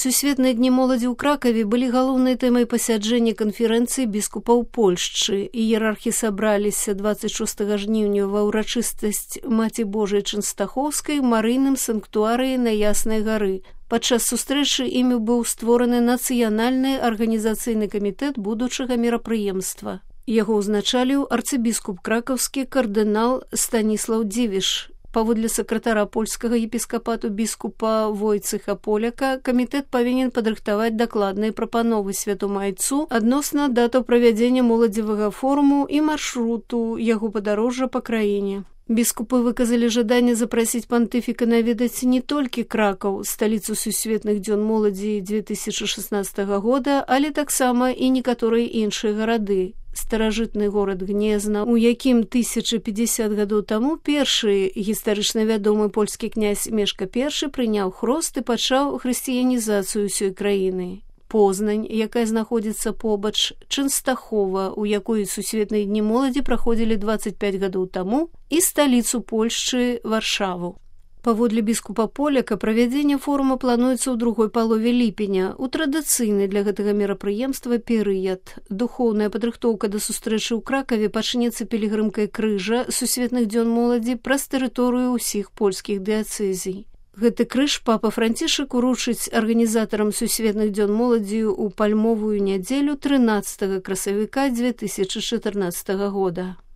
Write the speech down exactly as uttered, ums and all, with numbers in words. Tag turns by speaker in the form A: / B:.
A: Сусветныя дні моладзі ў Кракаве былі галоўнай тэмай пасяджэння канферэнцыі біскупаў Польшчы. Іерархі сабраліся дваццаць шостага жніўня ва ўрачыстасць Маці Божай Чэнстахоўскай у марыйным санктуарыі на Яснай гары. Падчас сустрэчы імі быў створаны нацыянальны арганізацыйны камітэт будучага мерапрыемства. Яго ўзначаліў арцыбіскуп кракаўскі кардынал Станіслаў Дзівіш. Паводле сакратара польскага епіскапату біскупа Войцэха Поляка, камітэт павінен падрыхтаваць дакладныя прапановы святому айцу адносна датаў правядзення моладзевага форуму і маршруту яго падарожжа па краіне. Біскупы выказалі жаданне запрасіць пантыфіка наведаць не толькі Кракаў, сталіцу сусветных дзён моладзі дзве тысячы шаснаццатага года, але таксама і некаторыя іншыя гарады. Старажытны горад Гнезна, у якім тысяча пятьдесят гадоў таму першы гістарычна вядомы польскі князь Мешка першы прыняў хрост і пачаў хрысціянізацыю ўсёй краіны. Познань, якая знаходзіцца побач, Чэнстахова, у якой сусветныя дні моладзі праходзілі дваццаць пяць гадоў таму, і сталіцу Польшчы Варшаву. Паводле біскупа Поляка, правядзенне форума плануецца ў другой палове ліпеня, у традыцыйны для гэтага мерапрыемства перыяд. Духоўная падрыхтоўка да сустрэчы ў Кракаве пачнецца пілігрымкай крыжа сусветных дзён моладзі праз тэрыторыю ўсіх польскіх дыяцэзій. Гэты крыж папа Францішак уручыць арганізатарам сусветных дзён моладзі ў пальмовую нядзелю трынаццатага красавіка дзве тысячы чатырнаццатага года.